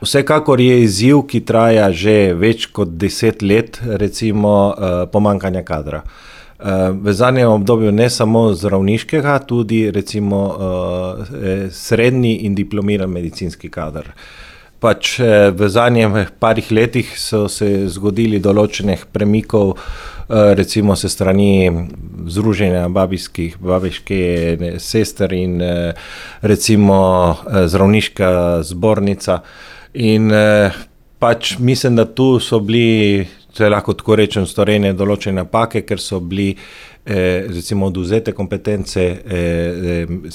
Vsekakor je izziv, ki traja že več kot 10 let, recimo pomanjkanja kadra. V zadnjem obdobju ne samo zdravniškega, tudi recimo srednji in diplomiran medicinski kader. Pač v zadnjih parih letih so se zgodili določenih premikov, recimo se strani Združenja babiške sester in recimo zdravniška zbornica. In pač mislim, da tu so bili, če lahko tako rečem, storjene določene napake, ker so bili recimo odvzete kompetence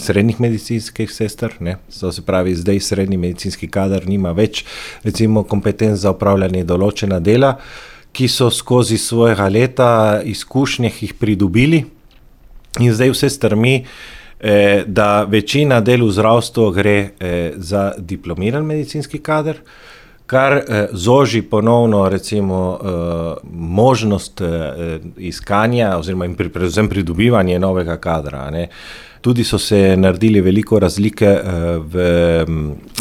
srednjih medicinskih sester, ne. To se pravi, zdaj srednji medicinski kader nima več recimo kompetenc za opravljanje določena dela, ki so skozi svojega leta izkušnje jih pridobili in zdaj vse strmi, da večina del v zdravstvu gre za diplomiran medicinski kader, kar zoži ponovno recimo možnost iskanja oziroma predvsem pridobivanje novega kadra, ne. Tudi so se naredili veliko razlike v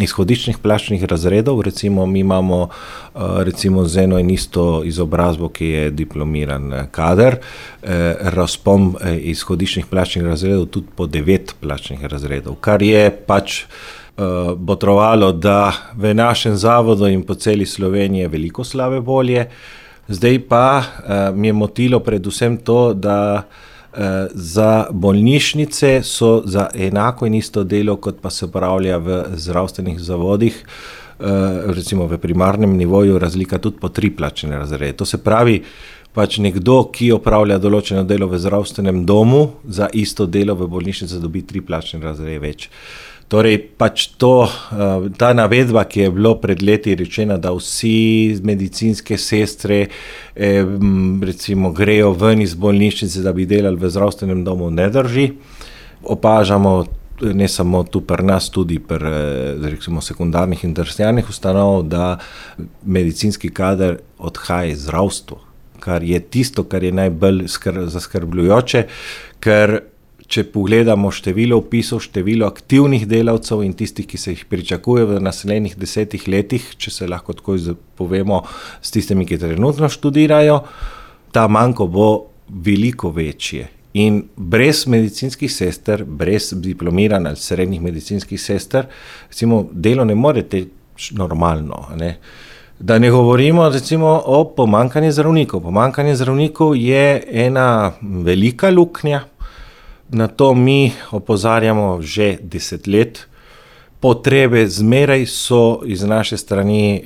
izhodiščnih plačnih razredov, recimo mi imamo recimo z eno in isto izobrazbo, ki je diplomiran kader, razpon izhodiščnih plačnih razredov tudi po 9 plačnih razredov, kar je pač botrovalo, da v našem zavodu in po celi Sloveniji je veliko slabe volje. Zdaj pa mi je motilo predvsem to, da za bolnišnice so za enako in isto delo, kot pa se opravlja v zdravstvenih zavodih, recimo v primarnem nivoju, razlika tudi po 3 plačne razrede. To se pravi, pač nekdo, ki opravlja določeno delo v zdravstvenem domu, za isto delo v bolnišnici dobi 3 plačne razrede več. Torej, pač ta navedba, ki je bilo pred leti rečena, da vsi medicinske sestre recimo grejo ven iz bolnišnice, da bi delali v zdravstvenem domu, ne drži. Opažamo ne samo tu pri nas, tudi pri recimo sekundarnih in terciarnih ustanov, da medicinski kader odhaja iz zdravstva, kar je tisto, kar je najbolj zaskrbljujoče, ker če pogledamo število vpisov, število aktivnih delavcev in tistih, ki se jih pričakuje v naslednjih 10 letih, če se lahko tako povemo s tistimi, ki trenutno študirajo, ta manko bo veliko večje. In brez medicinskih sester, brez diplomiranja ali srednjih medicinskih sester, recimo delo ne more teči normalno, ne. Da ne govorimo recimo o pomanjkanju zdravnikov. Pomanjkanje zdravnikov je ena velika luknja. Na to mi opozarjamo že 10 let. Potrebe zmeraj so iz naše strani,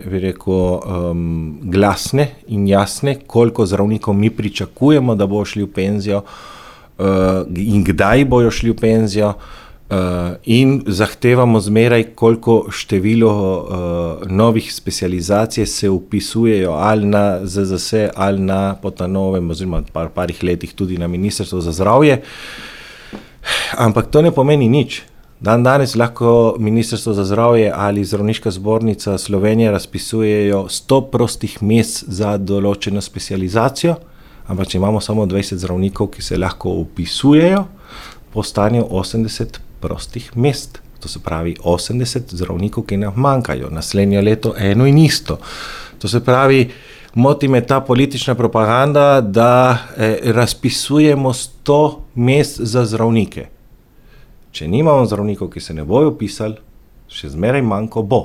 bi rekel, glasne in jasne, koliko zdravnikov mi pričakujemo, da bojo šli v penzijo in kdaj bojo šli v penzijo. In zahtevamo zmeraj, koliko število novih specializacij se vpisujejo ali na ZZS ali na po ta novem oziroma parih letih tudi na Ministrstvo za zdravje. Ampak to ne pomeni nič. Danes lahko Ministrstvo za zdravje ali Zdravniška zbornica Slovenije razpisujejo 100 prostih mest za določeno specializacijo, ampak če imamo samo 20 zdravnikov, ki se lahko vpisujejo, postanejo 80 prostih mest. To se pravi 80 zdravnikov, ki nam manjkajo. Naslednje leto eno in isto. To se pravi, moti me ta politična propaganda, da razpisujemo 100 mest za zdravnike. Če nimamo zdravnikov, ki se ne bojo vpisali, še zmeraj manjko bo.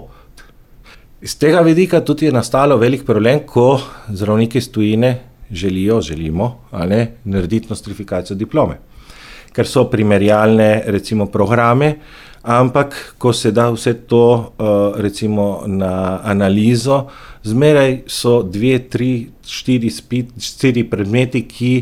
Iz tega vidika tudi je nastalo velik problem, ko zdravniki iz tujine želimo, narediti nostrifikacijo diplome. Ker so primerjalne recimo programe, ampak ko se da vse to recimo na analizo, zmeraj so 2, 3, 4 predmeti, ki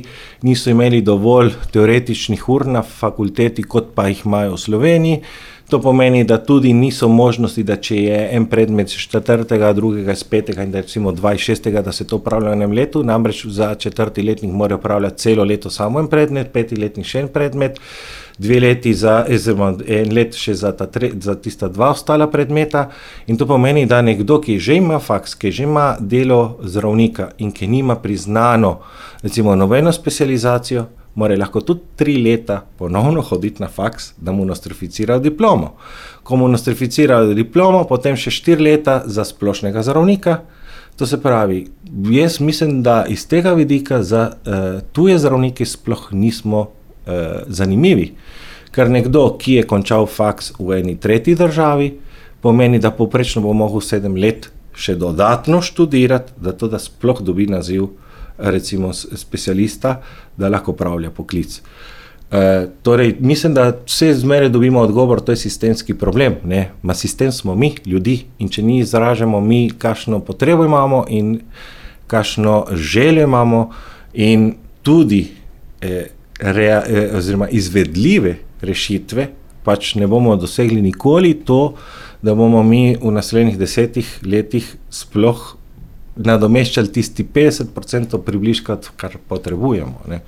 niso imeli dovolj teoretičnih ur na fakulteti, kot pa jih imajo v Sloveniji. To pomeni, da tudi niso možnosti, da če je en predmet iz 4., drugega iz 5. in da recimo 2 iz 6., da se to upravlja v enem letu, namreč za 4. letnik mora upravljati celo leto samo en predmet, 5. letnik še en predmet, 2 leti en let še za tista 2 ostala predmeta. In to pomeni, da nekdo, ki že ima faks, ki že ima delo zdravnika in ki nima priznano recimo nobeno specializacijo, mora lahko tudi 3 leta ponovno hoditi na faks, da mu nostrificirajo diplomo. Ko mu nostrificirajo diplomo, potem še 4 leta za splošnega zdravnika. To se pravi, jaz mislim, da iz tega vidika za tuje zdravnike sploh nismo zanimivi. Ker nekdo, ki je končal faks v eni tretji državi, pomeni, da povprečno bo mogel 7 let še dodatno študirati, da sploh dobi naziv recimo specialista, da lahko opravlja poklic. Torej, mislim, da vse zmeraj dobimo odgovor, to je sistemski problem. Ne? Sistem smo mi, ljudi, in če ni izražamo mi, kakšno potrebo imamo in kakšno željo imamo in tudi oziroma izvedljive rešitve, pač ne bomo dosegli nikoli to, da bomo mi v naslednjih 10 letih sploh nadomeščali tisti 50% približka, kar potrebujemo. Ne.